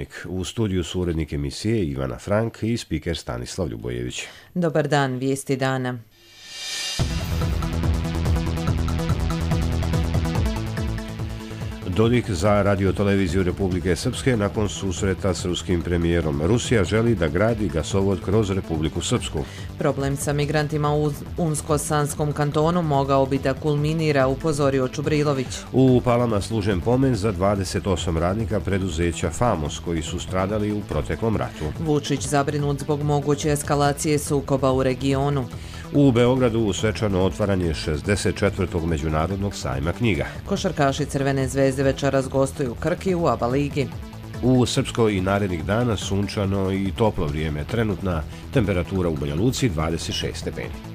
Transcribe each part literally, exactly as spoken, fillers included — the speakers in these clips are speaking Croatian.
Dnevnik. U studiju su urednik emisije Ivana Frank i spiker Stanislav Ljubojević. Dobar dan, vijesti dana. Dodik za radioteleviziju Republike Srpske nakon susreta s ruskim premijerom. Rusija želi da gradi gasovod kroz Republiku Srpsku. Problem sa migrantima u Unsko-Sanskom kantonu mogao bi da kulminira, upozorio Čubrilović. U Palama služen pomen za dvadeset osam radnika preduzeća Famos koji su stradali u proteklom ratu. Vučić zabrinut zbog moguće eskalacije sukoba u regionu. U Beogradu svečano otvaranje šezdeset četvrtog međunarodnog sajma knjiga. Košarkaši Crvene zvezde večeras gostuju Krki u ABA ligi. U Srpskoj i narednih dana sunčano i toplo vrijeme. Trenutna temperatura u Banja Luci dvadeset šest stepeni.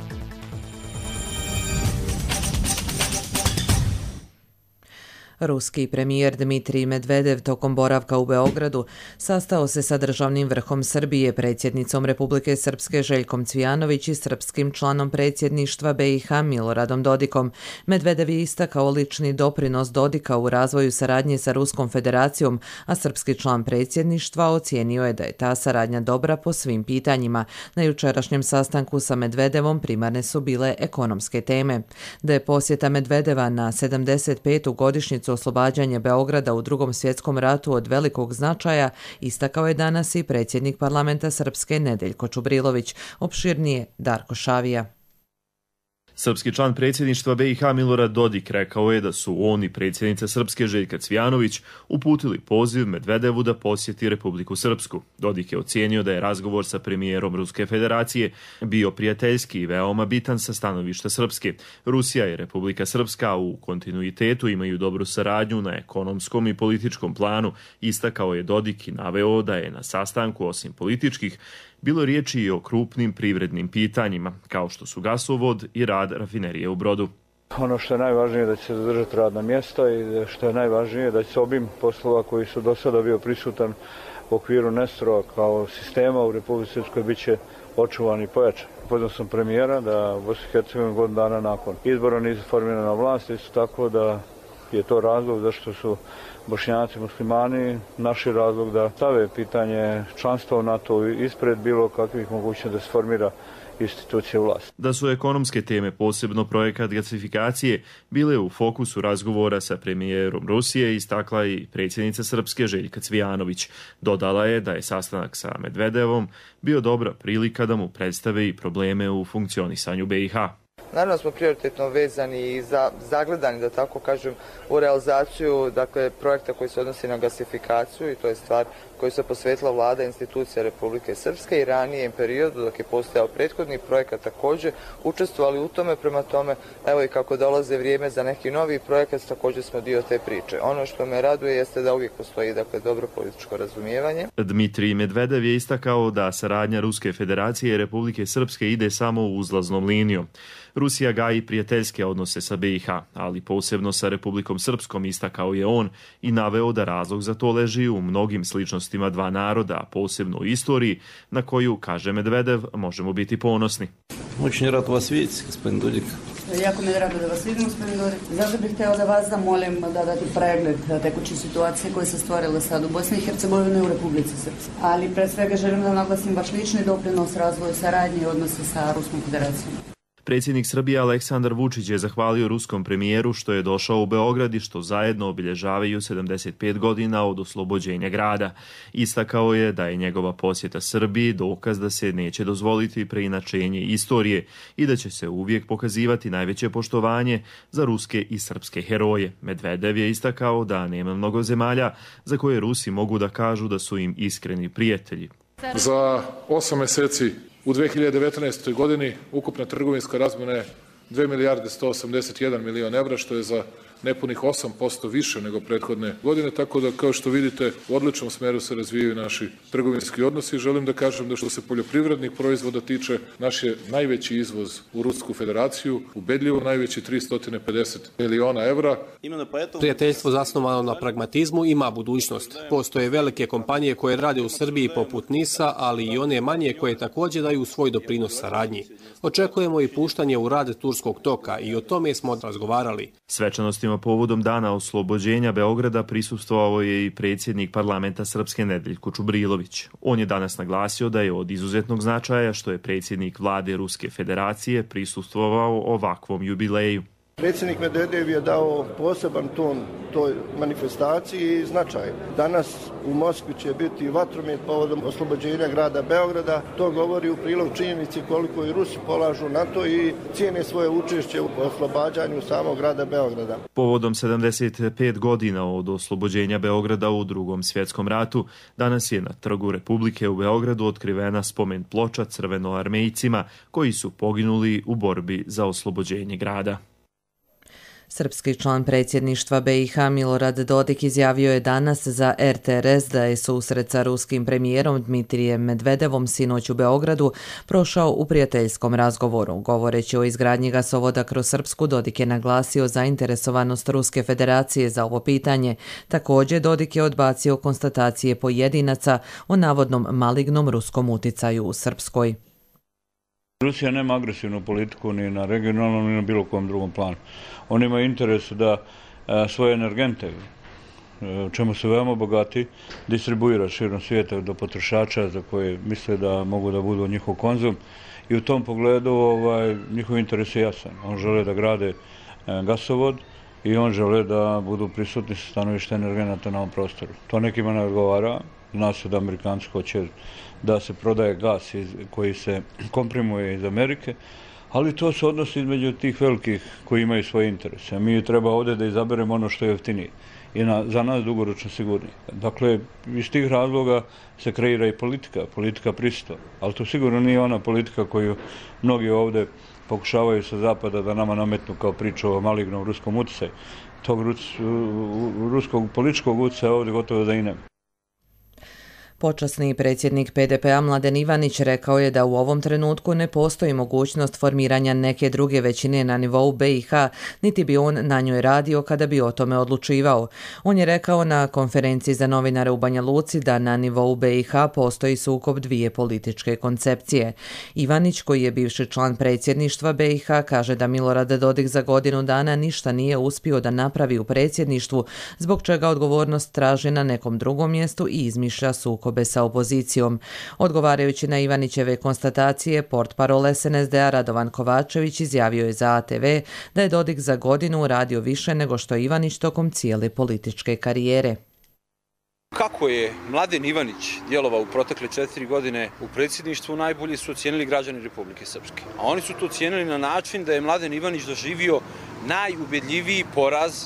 Ruski premijer Dmitrij Medvedev tokom boravka u Beogradu sastao se sa državnim vrhom Srbije, predsjednicom Republike Srpske Željkom Cvijanović i srpskim članom predsjedništva B i H Miloradom Dodikom. Medvedev je istakao lični doprinos Dodika u razvoju saradnje sa Ruskom federacijom, a srpski član predsjedništva ocijenio je da je ta saradnja dobra po svim pitanjima. Na jučerašnjem sastanku sa Medvedevom primarne su bile ekonomske teme. Da je posjeta Medvedeva na sedamdeset petu godišnjicu oslobađanja Beograda u Drugom svjetskom ratu od velikog značaja, istakao je danas i predsjednik parlamenta Srpske Nedeljko Čubrilović. Opširnije Darko Šavija. Srpski član predsjedništva B i H Milorad Dodik rekao je da su on i predsjednica Srpske Željka Cvijanović uputili poziv Medvedevu da posjeti Republiku Srpsku. Dodik je ocijenio da je razgovor sa premijerom Ruske federacije bio prijateljski i veoma bitan sa stanovišta Srpske. Rusija i Republika Srpska u kontinuitetu imaju dobru saradnju na ekonomskom i političkom planu, istakao je Dodik i naveo da je na sastanku osim političkih bilo riječi i o krupnim privrednim pitanjima, kao što su gasovod i rad rafinerije u Brodu. Ono što je najvažnije je da će se zadržati radna mjesta i što je najvažnije je da će se obim poslova koji su do sada bio prisutan u okviru Nestora kao sistema u Republici Srpskoj bit će očuvan i pojačan. Upoznao sam premijera da Bosna i Hercegovina godinu dana nakon izbora nisu formirana vlast, isto tako da je to razlog zašto su Bošnjaci muslimani naši razlog da stave pitanje članstva u NATO ispred bilo kakvih mogućnosti da se formira institucije vlasti. Da su ekonomske teme, posebno projekat gasifikacije, bile u fokusu razgovora sa premijerom Rusije, istakla i predsjednica Srpske Željka Cvijanović. Dodala je da je sastanak sa Medvedevom bio dobra prilika da mu predstave i probleme u funkcionisanju B i H. Naravno smo prioritetno vezani i za, zagledani, da tako kažem, u realizaciju dakle, projekta koji se odnosi na gasifikaciju i to je stvar koju se posvetila vlada i institucija Republike Srpske i ranijem periodu dok je postojao prethodni projekat također učestvovali u tome, prema tome evo i kako dolaze vrijeme za neki novi projekat također smo dio te priče. Ono što me raduje jeste da uvijek postoji dakle, dobro političko razumijevanje. Dmitrij Medvedev je istakao da saradnja Ruske federacije i Republike Srpske ide samo uzlaznom linijom. Rusija gaji prijateljske odnose sa B i H, ali posebno sa Republikom Srpskom, istakao je on i naveo da razlog za to leži u mnogim sličnostima dva naroda, posebno u istoriji, na koju, kaže Medvedev, možemo biti ponosni. Очень рад вас видеть, господин Dodik. Jako mi je drago da vas vidim, gospodin Dodik. Zato bih htjela da vas zamolim da date pregled tekuće situacije koje se stvorile sad u Bosni i Hercegovini i u Republici Srpskoj. Ali pre svega želim da naglasim vaš lični doprinos razvoju saradnje i odnose sa Ruskom federacijom. Predsjednik Srbije Aleksandar Vučić je zahvalio ruskom premijeru što je došao u Beograd i što zajedno obilježavaju sedamdeset pet godina od oslobođenja grada. Istakao je da je njegova posjeta Srbiji dokaz da se neće dozvoliti preinačenje istorije i da će se uvijek pokazivati najveće poštovanje za ruske i srpske heroje. Medvedev je istakao da nema mnogo zemalja za koje Rusi mogu da kažu da su im iskreni prijatelji. Za osam mjeseci u dve hiljade devetnaestoj. godini ukupna trgovinska razmjena je dve milijarde sto osamdeset jedan milion evra, što je za nepunih osam posto više nego prethodne godine, tako da kao što vidite u odličnom smjeru se razvijaju naši trgovinski odnosi. Želim da kažem da što se poljoprivrednih proizvoda tiče, naš je najveći izvoz u Rusku federaciju, ubedljivo najveći tristo pedeset miliona evra. Prijateljstvo zasnovano na pragmatizmu ima budućnost. Postoje velike kompanije koje rade u Srbiji poput NIS-a, ali i one manje koje također daju svoj doprinos saradnji. Očekujemo i puštanje u rad turskog toka i o tome smo razgovarali. Svečanosti aktivnostima povodom dana oslobođenja Beograda prisustvovao je i predsjednik parlamenta Srpske Nedeljko Čubrilović. On je danas naglasio da je od izuzetnog značaja što je predsjednik vlade Ruske federacije prisustvovao ovakvom jubileju. Predsjednik Medvedev je dao poseban ton toj manifestaciji i značaj. Danas u Moskvi će biti vatromet povodom oslobođenja grada Beograda. To govori u prilog činjenici koliko i Rusi polažu na to i cijene svoje učešće u oslobađanju samog grada Beograda. Povodom sedamdeset pet godina od oslobođenja Beograda u Drugom svjetskom ratu, danas je na Trgu Republike u Beogradu otkrivena spomen ploča crvenoarmejcima koji su poginuli u borbi za oslobođenje grada. Srpski član predsjedništva B i H Milorad Dodik izjavio je danas za R T R S da je susret sa ruskim premijerom Dmitrijem Medvedevom sinoć u Beogradu prošao u prijateljskom razgovoru. Govoreći o izgradnji gasovoda kroz Srpsku, Dodik je naglasio zainteresovanost Ruske federacije za ovo pitanje. Također, Dodik je odbacio konstatacije pojedinaca o navodnom malignom ruskom uticaju u Srpskoj. Rusija nema agresivnu politiku ni na regionalnom ni na bilo kom drugom planu. Oni imaju interes da a, svoje energente, a, čemu su veoma bogati, distribuira širom svijeta do potrošača za koje misle da mogu da budu njihov konzum. I u tom pogledu ovaj, njihov interes je jasan. On žele da grade a, gasovod i on žele da budu prisutni sa stanovišta energenata na ovom prostoru. To nekima ne odgovara. Zna se da Amerikanci hoće da se prodaje gas iz, koji se komprimuje iz Amerike, ali to se odnosi između tih velikih koji imaju svoje interese. Mi treba ovdje da izaberemo ono što je jeftinije i na, za nas dugoročno sigurnije. Dakle, iz tih razloga se kreira i politika, politika prisustva, ali to sigurno nije ona politika koju mnogi ovdje pokušavaju sa zapada da nama nametnu kao priču o malignom ruskom utjecaju. Tog rus, ruskog političkog utjecaja ovdje gotovo da i nema. Počasni predsjednik P D P-a Mladen Ivanić rekao je da u ovom trenutku ne postoji mogućnost formiranja neke druge većine na nivou B i H, niti bi on na njoj radio kada bi o tome odlučivao. On je rekao na konferenciji za novinare u Banja Luci da na nivou B i H postoji sukob dvije političke koncepcije. Ivanić, koji je bivši član predsjedništva B i H, kaže da Milorad Dodik za godinu dana ništa nije uspio da napravi u predsjedništvu, zbog čega odgovornost traži na nekom drugom mjestu i izmišlja sukob sa opozicijom. Odgovarajući na Ivanićeve konstatacije, portparol S N S D-a Radovan Kovačević izjavio je za A T V da je Dodik za godinu radio više nego što je Ivanić tokom cijele političke karijere. Kako je Mladen Ivanić djelovao u protekle četiri godine u predsjedništvu, najbolje su ocijenili građani Republike Srpske. A oni su to ocijenili na način da je Mladen Ivanić doživio najubedljiviji poraz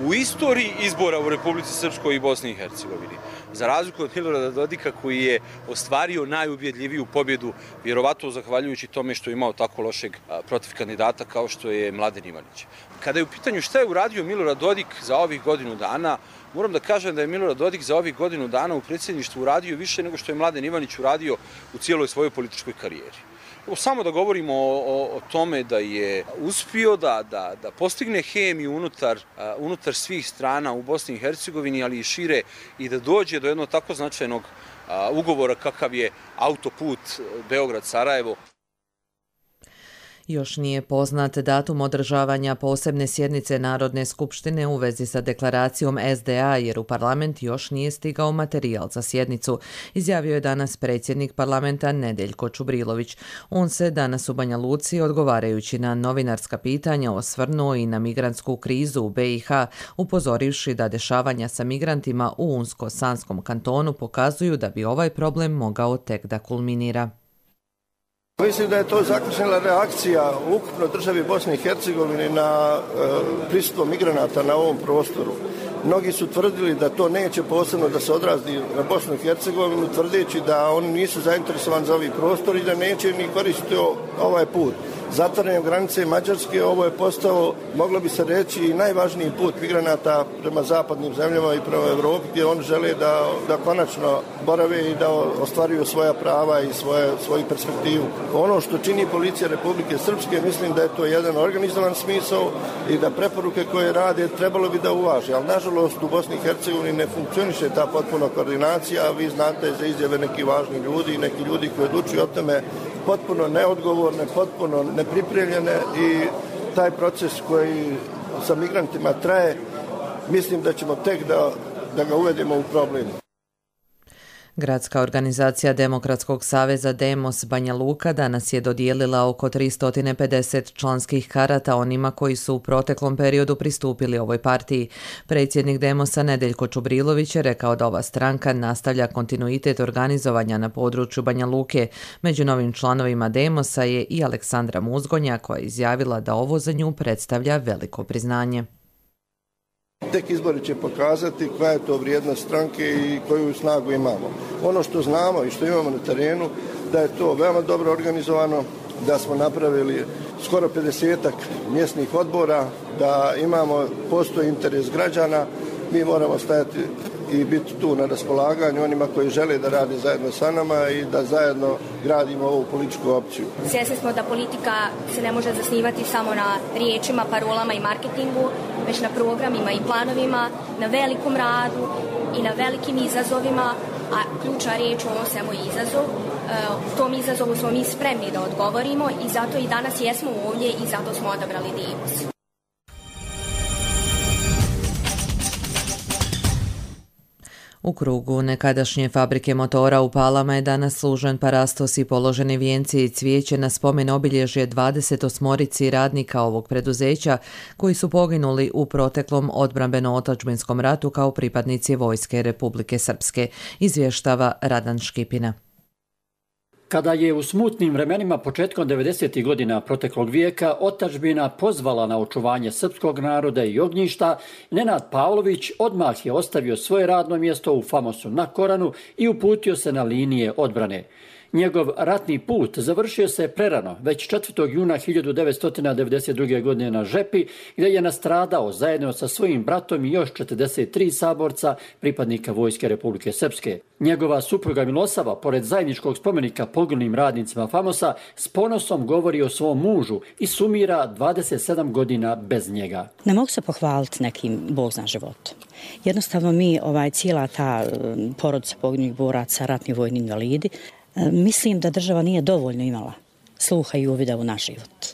u istoriji izbora u Republici Srpskoj i Bosni i Hercegovini. Za razliku od Milorada Dodika, koji je ostvario najubjedljiviju pobjedu, vjerovatno zahvaljujući tome što je imao tako lošeg protiv kandidata kao što je Mladen Ivanić. Kada je u pitanju šta je uradio Milorad Dodik za ovih godinu dana, moram da kažem da je Milorad Dodik za ovih godinu dana u predsjedništvu uradio više nego što je Mladen Ivanić uradio u cijeloj svojoj političkoj karijeri. Evo, samo da govorimo o, o, o tome da je uspio da, da, da postigne hemiju unutar, uh, unutar svih strana u Bosni i Hercegovini, ali i šire, i da dođe do jednog tako značajnog uh, ugovora kakav je autoput Beograd-Sarajevo. Još nije poznat datum održavanja posebne sjednice Narodne skupštine u vezi sa deklaracijom S D A, jer u parlament još nije stigao materijal za sjednicu, izjavio je danas predsjednik parlamenta Nedeljko Čubrilović. On se danas u Banja Luci, odgovarajući na novinarska pitanja, osvrnuo i na migrantsku krizu u B i H, upozorivši da dešavanja sa migrantima u Unsko-Sanskom kantonu pokazuju da bi ovaj problem mogao tek da kulminira. Mislim da je to zaključila reakcija ukupno državi Bosne i Hercegovine na e, prisustvo migranata na ovom prostoru. Mnogi su tvrdili da to neće posebno da se odrazi na Bosnu i Hercegovinu, tvrdeći da oni nisu zainteresovani za ovaj prostor i da neće ni koristiti ovaj put. Zatvaranjem granice Mađarske ovo je postao, moglo bi se reći, i najvažniji put migranata prema zapadnim zemljama i prema Evropi, gdje oni žele da, da konačno borave i da ostvaruju svoja prava i svoje, svoju perspektivu. Ono što čini policija Republike Srpske, mislim da je to jedan organizovan smisao i da preporuke koje rade trebalo bi da uvaže. Ali nažalost u Bosni i Hercegovini ne funkcioniše ta potpuna koordinacija. Vi znate za izjave neki važni ljudi i neki ljudi koji odlučuju o tome potpuno neodgovorne, potpuno nepripremljene, i taj proces koji sa migrantima traje, mislim da ćemo tek da, da ga uvedemo u problem. Gradska organizacija Demokratskog saveza Demos Banja Luka danas je dodijelila oko tristo pedeset članskih karata onima koji su u proteklom periodu pristupili ovoj partiji. Predsjednik Demosa Nedeljko Čubrilović je rekao da ova stranka nastavlja kontinuitet organizovanja na području Banja Luke. Među novim članovima Demosa je i Aleksandra Muzgonja, koja je izjavila da ovo za nju predstavlja veliko priznanje. Tek izbori će pokazati koja je to vrijednost stranke i koju snagu imamo. Ono što znamo i što imamo na terenu, da je to veoma dobro organizovano, da smo napravili skoro pedesetak mjesnih odbora, da imamo, postoji interes građana, mi moramo stajati i biti tu na raspolaganju onima koji žele da rade zajedno sa nama i da zajedno gradimo ovu političku opciju. Svjesni smo da politika se ne može zasnivati samo na riječima, parolama i marketingu, već na programima i planovima, na velikom radu i na velikim izazovima, a ključna riječ u ovom svemu je izazov. U tom izazovu smo mi spremni da odgovorimo i zato i danas jesmo ovdje i zato smo odabrali Demos. U krugu nekadašnje fabrike motora u Palama je danas služen parastos i položeni vijenci i cvijeće na spomen obilježje dvadeset osmorici radnika ovog preduzeća koji su poginuli u proteklom odbrambeno-otadžbinskom ratu kao pripadnici Vojske Republike Srpske, izvještava Radan Škipina. Kada je u smutnim vremenima početkom devedesetih godina proteklog vijeka otadžbina pozvala na očuvanje srpskog naroda i ognjišta, Nenad Pavlović odmah je ostavio svoje radno mjesto u Famosu na Koranu i uputio se na linije odbrane. Njegov ratni put završio se prerano, već četvrtog juna hiljadu devetsto devedeset druge. godine na Žepi, gdje je nastradao zajedno sa svojim bratom i još četrdeset tri saborca pripadnika Vojske Republike Srpske. Njegova supruga Milosava, pored zajedničkog spomenika poginulim radnicima Famosa, s ponosom govori o svom mužu i sumira dvadeset sedam godina bez njega. Ne mogu se pohvaliti nekim Bog zna životom. Jednostavno mi, ovaj, cijela ta porodica poginulih boraca, ratni vojni invalidi, mislim da država nije dovoljno imala sluha i uvida u naš život.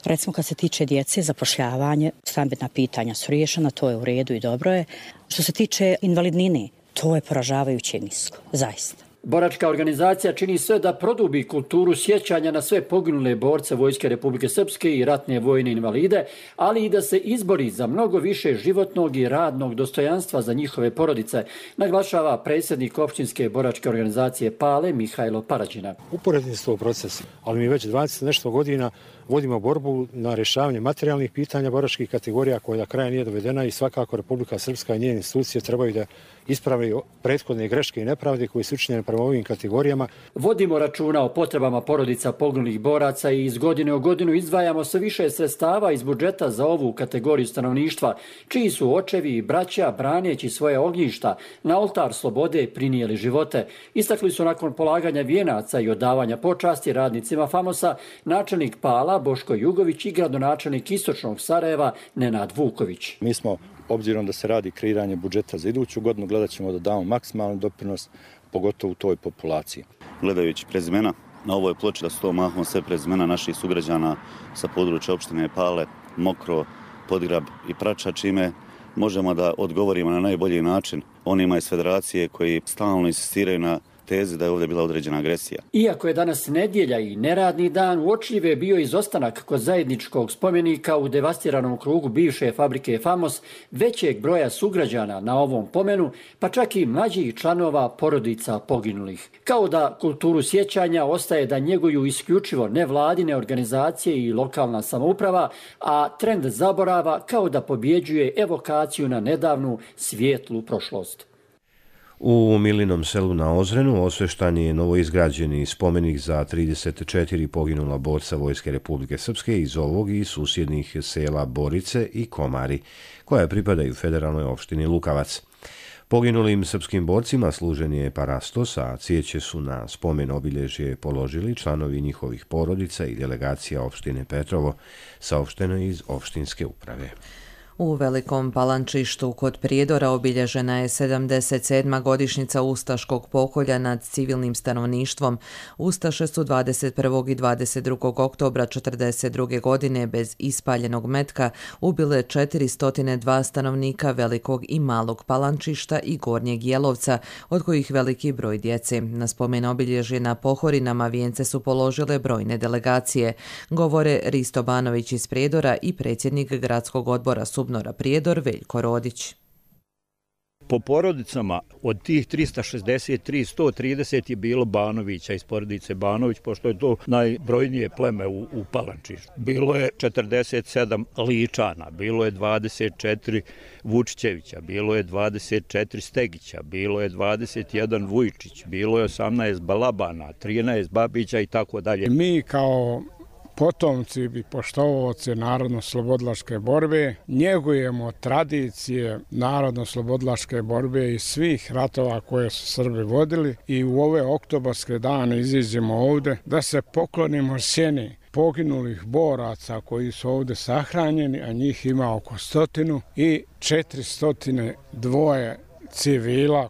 Recimo kad se tiče djece, zapošljavanje, stambena pitanja su riješena, to je u redu i dobro je. Što se tiče invalidnine, to je poražavajuće nisko, zaista. Boračka organizacija čini sve da produbi kulturu sjećanja na sve poginule borce Vojske Republike Srpske i ratne vojne invalide, ali i da se izbori za mnogo više životnog i radnog dostojanstva za njihove porodice, naglašava predsjednik općinske boračke organizacije Pale Mihajlo Parađina. Uporedni su to procesi, ali mi već dvadeset nešto godina vodimo borbu na rješavanje materijalnih pitanja boračkih kategorija koja do kraja nije dovedena i svakako Republika Srpska i njene institucije trebaju da ispravi prethodne greške i nepravde koje su učinjene prema ovim kategorijama. Vodimo računa o potrebama porodica poginulih boraca i iz godine u godinu izdvajamo sve više sredstava iz budžeta za ovu kategoriju stanovništva, čiji su očevi i braća, braneći svoje ognjišta, na oltar slobode prinijeli živote. Istakli su nakon polaganja vijenaca i odavanja počasti radnicima Famosa načelnik Pala Boško Jugović i gradonačelnik Istočnog Sarajeva Nenad Vuković. Mi smo, obzirom da se radi kreiranje budžeta za iduću godinu, gledat ćemo da damo maksimalni doprinos, pogotovo u toj populaciji. Gledajući prezimena, na ovoj ploči da su to mahom sve prezimena naših sugrađana sa područja opštine Pale, Mokro, Podgrab i Prača, čime možemo da odgovorimo na najbolji način onima iz federacije koji stalno insistiraju na tezi da je ovdje bila određena agresija. Iako je danas nedjelja i neradni dan, uočljiv je bio izostanak kod zajedničkog spomenika u devastiranom krugu bivše fabrike Famos većeg broja sugrađana na ovom pomenu, pa čak i mlađih članova porodica poginulih. Kao da kulturu sjećanja ostaje da njeguju isključivo nevladine organizacije i lokalna samouprava, a trend zaborava kao da pobjeđuje evokaciju na nedavnu svijetlu prošlost. U Milinom selu na Ozrenu osveštan je novoizgrađeni spomenik za trideset četiri poginula borca Vojske Republike Srpske iz ovog i susjednih sela Borice i Komari, koja pripadaju federalnoj opštini Lukavac. Poginulim srpskim borcima služen je parastos, a cvijeće su na spomen obilježje položili članovi njihovih porodica i delegacija opštine Petrovo, saopšteno iz opštinske uprave. U Velikom Palančištu kod Prijedora obilježena je sedamdeset sedma godišnjica ustaškog pokolja nad civilnim stanovništvom. Ustaše su dvadeset prvog i dvadeset drugog oktobra četrdeset druge godine bez ispaljenog metka ubile četiristo dva stanovnika Velikog i Malog Palančišta i Gornjeg Jelovca, od kojih veliki broj djece. Na spomen obilježje na Pohorinama vijence su položile brojne delegacije, govore Risto Banović iz Prijedora i predsjednik gradskog odbora Subnora Prijedor Veljko Rodić. Po porodicama od tih trista šezdeset tri, sto trideset je bilo Banovića iz porodice Banović, pošto je to najbrojnije pleme u, u Palančištu. Bilo je četrdeset sedam Ličana, bilo je dvadeset četiri Vučićevića, bilo je dvadeset četiri Stegića, bilo je dvadeset jedan Vujčić, bilo je osamnaest Balabana, trinaest Babića i tako dalje. Mi kao potomci i poštovaoci narodno-slobodilačke borbe njegujemo tradicije narodno-slobodilačke borbe i svih ratova koje su Srbi vodili i u ove oktobarske dane iziđemo ovde da se poklonimo sjeni poginulih boraca koji su ovde sahranjeni, a njih ima oko stotinu i četiristotine dvoje civila.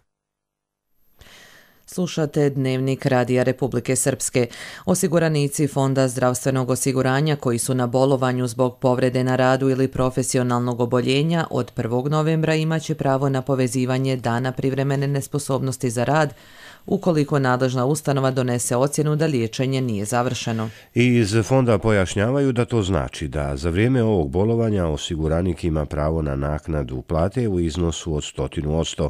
Slušate Dnevnik Radija Republike Srpske. Osiguranici Fonda zdravstvenog osiguranja koji su na bolovanju zbog povrede na radu ili profesionalnog oboljenja od prvog novembra imaće pravo na povezivanje dana privremene nesposobnosti za rad ukoliko nadležna ustanova donese ocjenu da liječenje nije završeno. Iz fonda pojašnjavaju da to znači da za vrijeme ovog bolovanja osiguranik ima pravo na naknadu plate u iznosu od stotinu odsto.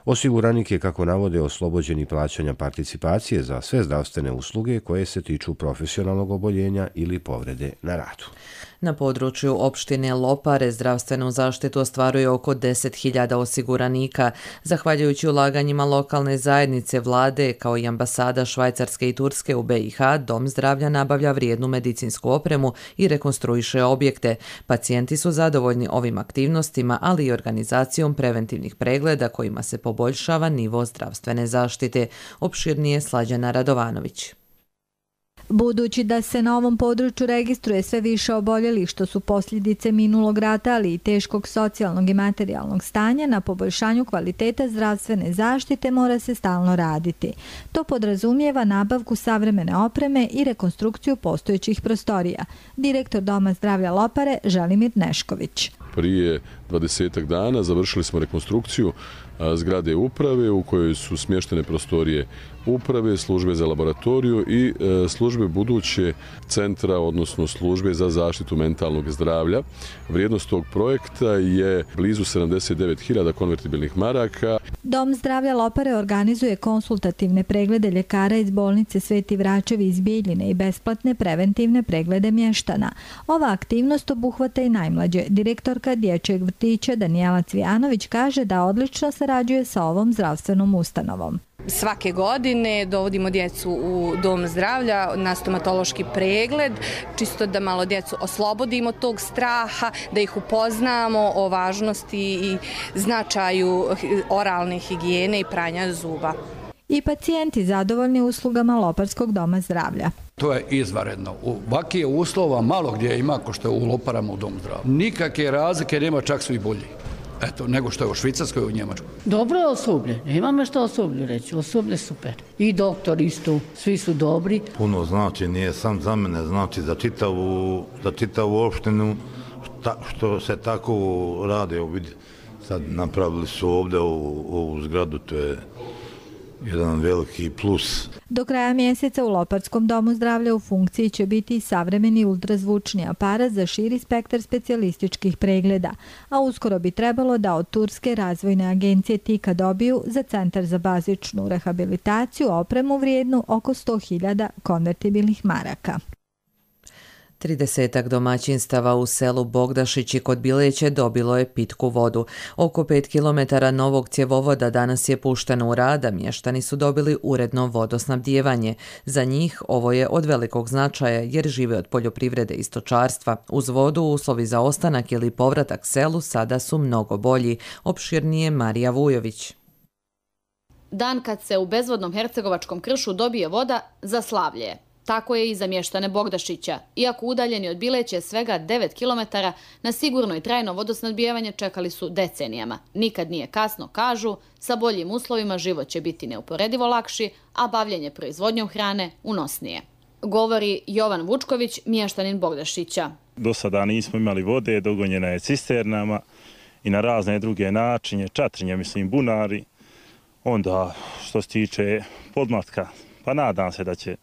Osiguranik je, kako navode, oslobođeni plaćanja participacije za sve zdravstvene usluge koje se tiču profesionalnog oboljenja ili povrede na radu. Na području opštine Lopare zdravstvenu zaštitu ostvaruje oko deset hiljada osiguranika. Zahvaljujući ulaganjima lokalne zajednice, vlade, kao i ambasada Švajcarske i Turske u B i H, Dom zdravlja nabavlja vrijednu medicinsku opremu i rekonstruiše objekte. Pacijenti su zadovoljni ovim aktivnostima, ali i organizacijom preventivnih pregleda kojima se poboljšava nivo zdravstvene zaštite. Opširnije Slađana Radovanović. Budući da se na ovom području registruje sve više oboljelih što su posljedice minulog rata, ali i teškog socijalnog i materijalnog stanja, na poboljšanju kvaliteta zdravstvene zaštite mora se stalno raditi. To podrazumijeva nabavku savremene opreme i rekonstrukciju postojećih prostorija. Direktor Doma zdravlja Lopare Želimir Nešković. Prije dvadesetak dana završili smo rekonstrukciju zgrade uprave u kojoj su smještene prostorije uprave, službe za laboratoriju i službe buduće centra, odnosno službe za zaštitu mentalnog zdravlja. Vrijednost tog projekta je blizu sedamdeset devet hiljada konvertibilnih maraka. Dom zdravlja Lopare organizuje konsultativne preglede ljekara iz bolnice Sveti Vračevi iz Bijeljine i besplatne preventivne preglede mještana. Ova aktivnost obuhvata i najmlađe. Direktorka dječjeg vrtića Danijela Cvijanović kaže da odlično sarađuje sa ovom zdravstvenom ustanovom. Svake godine dovodimo djecu u dom zdravlja na stomatološki pregled, čisto da malo djecu oslobodimo tog straha, da ih upoznamo o važnosti i značaju oralne higijene i pranja zuba. I pacijenti zadovoljni uslugama Loparskog doma zdravlja. To je izvanredno. Ovakvih uslova malo gdje ima ko što je u Loparama u domu zdravlja. Nikakve razlike nema, čak su i bolji. Eto, nego što je u Švicarskoj i u Njemačkoj. Dobro je osoblje, nema me što osoblju reći, osoblje super. I doktor isto, svi su dobri. Puno znači, nije sam za mene, znači za čitavu, za čitavu opštinu, šta, što se tako rade, sad napravili su ovdje ovu, ovu zgradu, to je jedan veliki plus. Do kraja mjeseca u Loparskom domu zdravlja u funkciji će biti savremeni ultrazvučni aparat za širi spektar specijalističkih pregleda, a uskoro bi trebalo da od Turske razvojne agencije Tika dobiju za Centar za bazičnu rehabilitaciju opremu vrijednu oko sto hiljada konvertibilnih maraka. Tridesetak domaćinstava u selu Bogdašići kod Bileće dobilo je pitku vodu. Oko pet kilometara novog cjevovoda danas je pušteno u rad, a mještani su dobili uredno vodosnabdijevanje. Za njih ovo je od velikog značaja jer žive od poljoprivrede i stočarstva. Uz vodu uslovi za ostanak ili povratak selu sada su mnogo bolji. Opširnije Marija Vujović. Dan kad se u bezvodnom hercegovačkom kršu dobije voda za slavlje. Tako je i za mještane Bogdašića. Iako udaljeni od Bileće svega devet kilometara, na sigurno i trajno vodosnabdijevanje čekali su decenijama. Nikad nije kasno, kažu, sa boljim uslovima život će biti neuporedivo lakši, a bavljenje proizvodnjom hrane unosnije. Govori Jovan Vučković, mještanin Bogdašića. Do sada nismo imali vode, dogonjena je cisternama i na razne druge načine, čatrinje, mislim, bunari. Onda, što se tiče podmlatka, pa nadam se da će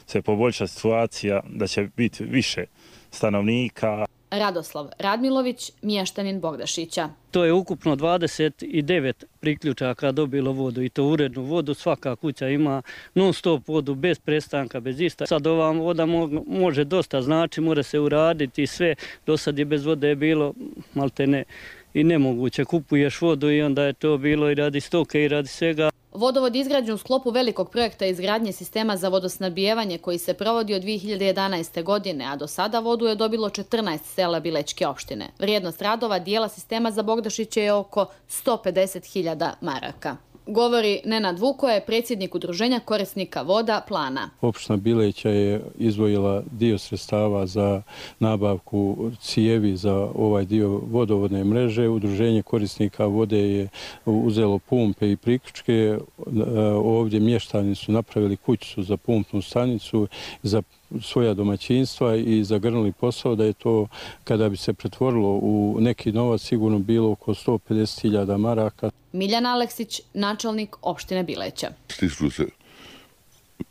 se poboljšati situacija, da će biti više stanovnika. Radoslav Radmilović, mještanin Bogdašića. To je ukupno dvadeset devet priključaka dobilo vodu i to urednu vodu. Svaka kuća ima non stop vodu bez prestanka, bez ista. Sad ova voda može dosta, znači mora se uraditi sve. Do sad je bez vode bilo maltene i nemoguće. Kupuješ vodu i onda je to bilo i radi stoke i radi svega. Vodovod je izgrađen u sklopu velikog projekta izgradnje sistema za vodosnabdijevanje koji se provodi od dvije hiljade jedanaeste. godine, a do sada vodu je dobilo četrnaest sela Bilećke opštine. Vrijednost radova dijela sistema za Bogdašiće je oko sto pedeset hiljada maraka. Govori Nenad Vukoje, predsjednik udruženja korisnika voda Plana. Opština Bileća je izdvojila dio sredstava za nabavku cijevi za ovaj dio vodovodne mreže. Udruženje korisnika vode je uzelo pumpe i priključke. Ovdje mještani su napravili kućicu za pumpnu stanicu, za svoja domaćinstva i zagrnuli posao da je to, kada bi se pretvorilo u neki novac, sigurno bilo oko sto pedeset hiljada maraka. Miljan Aleksić, načelnik opštine Bileća. Stiču se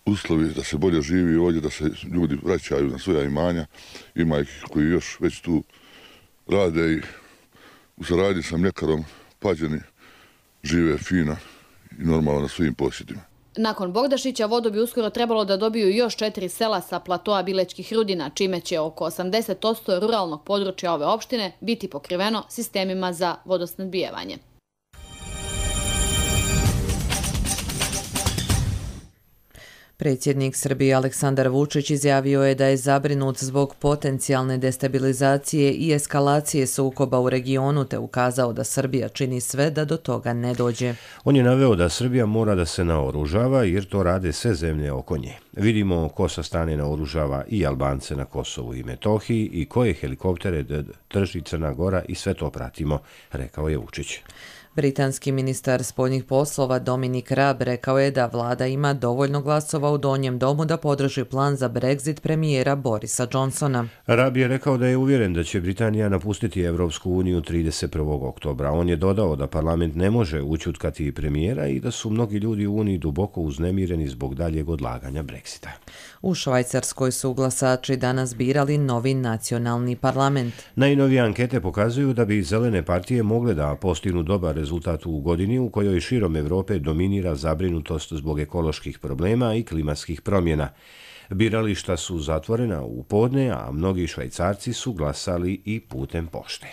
uslovi da se bolje živi ovdje, da se ljudi vraćaju na svoja imanja. Ima ih koji još već tu rade i u saradnji sa mljekarom Pađeni žive fino i normalno na svojim posjedima. Nakon Bogdašića vodu bi uskoro trebalo da dobiju još četiri sela sa platoa Bilećkih rudina, čime će oko osamdeset posto ruralnog područja ove opštine biti pokriveno sistemima za vodosnabdijevanje. Predsjednik Srbije Aleksandar Vučić izjavio je da je zabrinut zbog potencijalne destabilizacije i eskalacije sukoba u regionu, te ukazao da Srbija čini sve da do toga ne dođe. On je naveo da Srbija mora da se naoružava jer to rade sve zemlje oko nje. Vidimo ko sa strane naoružava i Albance na Kosovu i Metohiji i koje helikoptere drži Crna Gora i sve to pratimo, rekao je Vučić. Britanski ministar spoljnih poslova Dominic Raab rekao je da vlada ima dovoljno glasova u Donjem domu da podrži plan za Brexit premijera Borisa Johnsona. Raab je rekao da je uvjeren da će Britanija napustiti Evropsku uniju trideset prvog oktobra. On je dodao da parlament ne može ućutkati premijera i da su mnogi ljudi u uniji duboko uznemireni zbog daljeg odlaganja Brexita. U Švajcarskoj su glasači danas birali novi nacionalni parlament. Najnovije ankete pokazuju da bi zelene partije mogle da postignu dobar rezultat u godini u kojoj širom Evrope dominira zabrinutost zbog ekoloških problema i klimatskih promjena. Birališta su zatvorena u podne, a mnogi Švajcarci su glasali i putem pošte.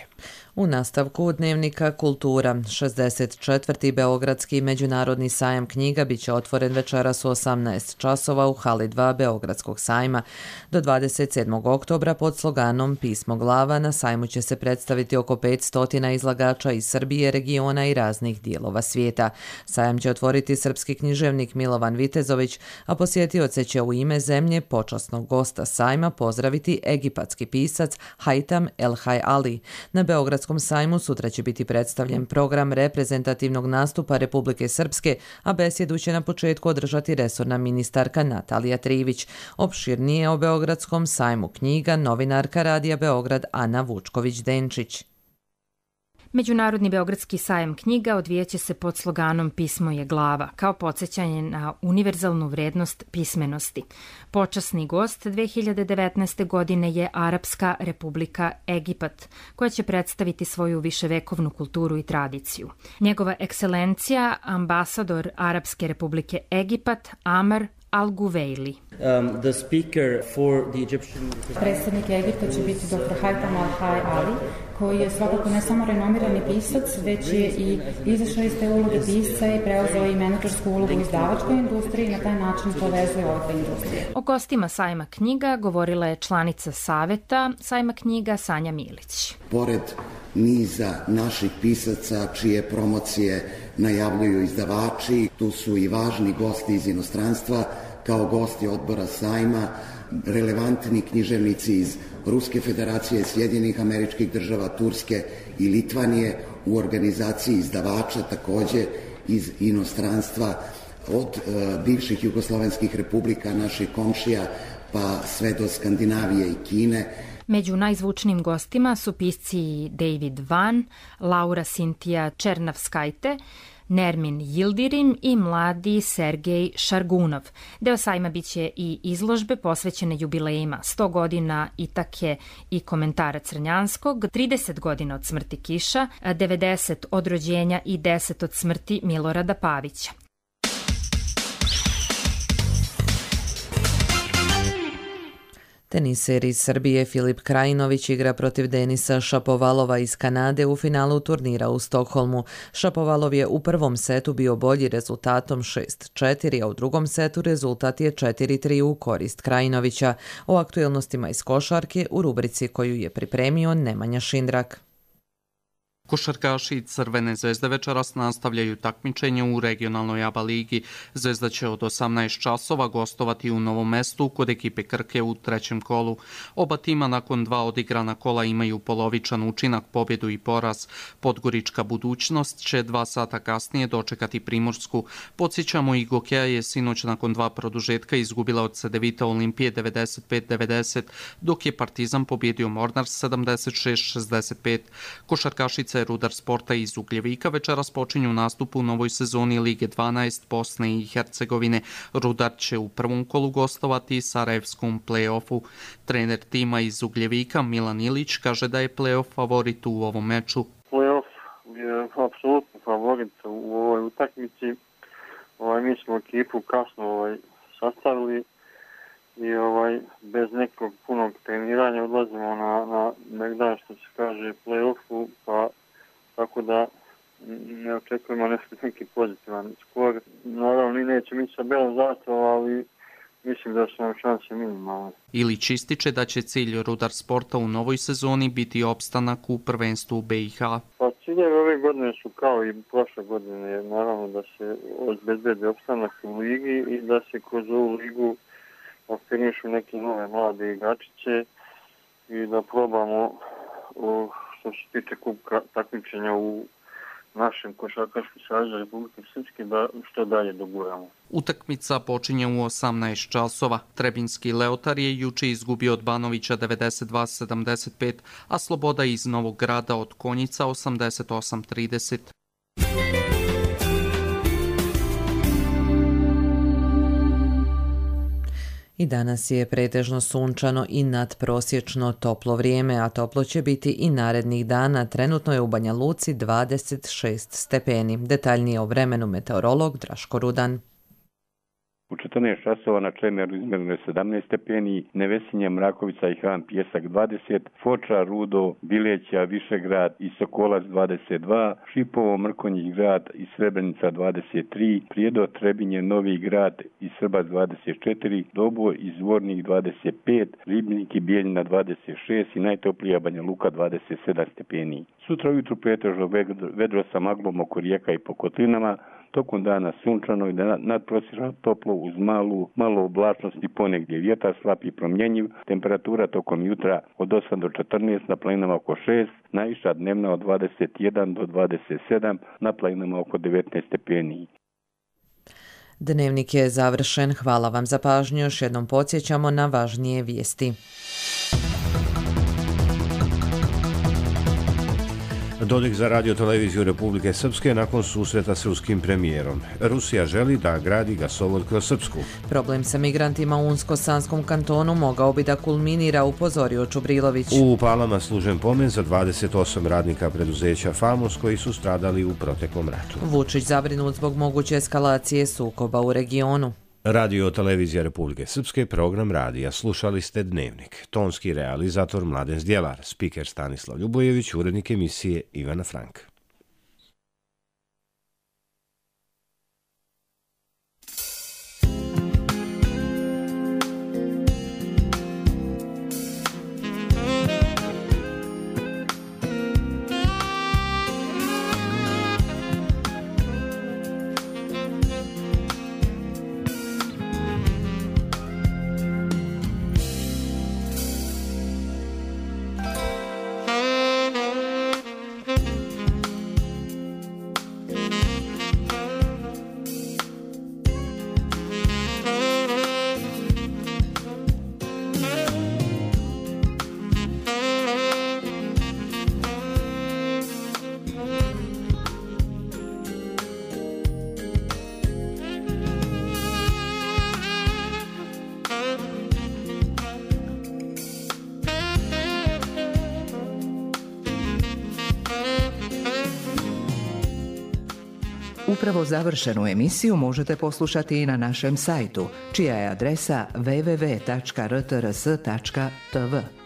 U nastavku Dnevnika Kultura, šezdeset četvrti Beogradski međunarodni sajam knjiga biće otvoren večeras u osamnaest časova u hali dva Beogradskog sajma. Do dvadeset sedmog oktobra pod sloganom Pismo glava na sajmu će se predstaviti oko petsto izlagača iz Srbije, regiona i raznih dijelova svijeta. Sajam će otvoriti srpski književnik Milovan Vitezović, a posjetioce će u ime zemlje počasnog gosta sajma pozdraviti egipatski pisac Haitam El Hayali. Na Beogradskom sajmu sutra će biti predstavljen program reprezentativnog nastupa Republike Srpske, a besjedu će na početku održati resorna ministarka Natalija Trivić. Opširnije o Beogradskom sajmu knjiga novinarka Radija Beograd Ana Vučković-Denčić. Međunarodni Beogradski sajam knjiga odvijeće se pod sloganom Pismo je glava, kao podsjećanje na univerzalnu vrednost pismenosti. Počasni gost dve hiljade devetnaeste. godine je Arapska Republika Egipat, koja će predstaviti svoju viševekovnu kulturu i tradiciju. Njegova ekscelencija, ambasador Arapske Republike Egipat, Amar Al-Guvejli. Um, the speaker for the Egyptian... Predstavnik Egipta će biti doktor Haitam Al-Hayali, koji je svakako ne samo renomirani pisac, već je i izašao iz te uloge pisca i preuzeo i menadžersku ulogu u izdavačkoj industriji i na taj način povezuje ove te industrije. O gostima sajma knjiga govorila je članica saveta sajma knjiga Sanja Milić. Pored niza naših pisaca čije promocije najavljuju izdavači, tu su i važni gosti iz inostranstva, kao gosti odbora sajma, relevantni književnici iz Ruske federacije, Sjedinjenih Američkih Država, Turske i Litvanije, u organizaciji izdavača takođe iz inostranstva, od e, bivših jugoslovenskih republika, naših komšija, pa sve do Skandinavije i Kine. Među najzvučnijim gostima su pisci David Van, Laura Sintija Černavskajte, Nermin Yildirim i mladi Sergej Šargunov. Deo sajma biće i izložbe posvećene jubilejima sto godina Itake i komentara Crnjanskog, trideset godina od smrti Kiša, devedeset od rođenja i deset od smrti Milorada Pavića. Teniser iz Srbije Filip Krajinović igra protiv Denisa Šapovalova iz Kanade u finalu turnira u Stokholmu. Šapovalov je u prvom setu bio bolji rezultatom šest četiri, a u drugom setu rezultat je četiri tri u korist Krajinovića. O aktuelnostima iz košarke u rubrici koju je pripremio Nemanja Šindrak. Košarkaši Crvene zvezde večeras nastavljaju takmičenje u regionalnoj A B A ligi. Zvezda će od osamnaest časova gostovati u Novom Mestu kod ekipe Krke u trećem kolu. Oba tima nakon dva odigrana kola imaju polovičan učinak, pobjedu i poraz. Podgorička Budućnost će dva sata kasnije dočekati Primorsku. Podsjećamo, i Gokeja je sinoć nakon dva produžetka izgubila od Cedevita Olimpije devedeset pet devedeset, dok je Partizan pobjedio Mornar sedamdeset šest šezdeset pet. Košarkašice Rudar Sporta iz Ugljevika večeras počinju nastup u novoj sezoni Lige dvanaest Bosne i Hercegovine. Rudar će u prvom kolu gostovati Sarajevskom play-offu. Trener tima iz Ugljevika Milan Ilić kaže da je play-off favorit u ovom meču. Play-off je apsolutno favorit u ovoj utakmici. Ovaj, mi smo ekipu kasno ovaj, sastavili i ovaj, bez nekog punog treniranja odlazimo na, na negdje što se kaže play-offu, pa tako da ne očekujemo neki pozitivan skor. Naravno, ni neće mi sa belom zastavom, ali mislim da su nam šanse minimalne. Ilić ističe da će cilj Rudar Sporta u novoj sezoni biti opstanak u prvenstvu u B i H. Pa ciljevi ove godine su kao i prošle godine, naravno da se obezbedi opstanak u ligi i da se kroz ovu ligu afirmišu neke nove mlade igračiće i da probamo o, što se tiče kubka takmičenja u našem košarkaškom savezu Republike Srpske da što dalje doguramo. Utakmica počinje u osamnaest časova. Trebinski Leotar je juče izgubio od Banovića devedeset dva sedamdeset pet, a Sloboda iz Novog Grada od Konjica osamdeset osam trideset. I danas je pretežno sunčano i nadprosječno toplo vrijeme, a toplo će biti i narednih dana. Trenutno je u Banja Luci dvadeset šest stepeni. Detaljnije o vremenu meteorolog Draško Rudan. U četrnaest časova na Čemeru izmjereno je sedamnaest stepeni, Nevesinje, Mrakovica i Han Pjesak dvadeset, Foča, Rudo, Bileća, Višegrad i Sokolac dvadeset dva, Šipovo, Mrkonjić Grad i Srebrenica dvadeset tri, Prijedor, Trebinje, Novi Grad i Srbac dvadeset četiri, Doboj i Zvornik dvadeset pet, Ribnik i Bijeljina dvadeset šest i najtoplija Banja Luka dvadeset sedam stepeni. Sutra ujutru pretežno vedro sa maglom oko rijeka i po kotlinama, tokom dana sunčano i nadprosječno toplo uz malu, malo oblačnosti, ponegdje vjetar slab i promjenjiv, temperatura tokom jutra od osam do četrnaest, na planinama oko šest, najviša dnevna od dvadeset jedan do dvadeset sedam, na planinama oko devetnaest stepeni. Dnevnik je završen. Hvala vam za pažnju. Još jednom podsjećamo na važnije vijesti. Dodik za radio televiziju Republike Srpske nakon susreta s ruskim premijerom. Rusija želi da gradi gasovod kroz Srpsku. Problem sa migrantima u Unsko-Sanskom kantonu mogao bi da kulminira, upozorio Čubrilović. U Palama služen pomen za dvadeset osam radnika preduzeća Famos koji su stradali u proteklom ratu. Vučić zabrinut zbog moguće eskalacije sukoba u regionu. Radio televizija Republike Srpske, program radija. Slušali ste Dnevnik. Tonski realizator Mladen Zdjelar, spiker Stanislav Ljubojević, urednik emisije Ivana Frank. Upravo završenu emisiju možete poslušati i na našem sajtu, čija je adresa w w w tačka r t r s tačka t v.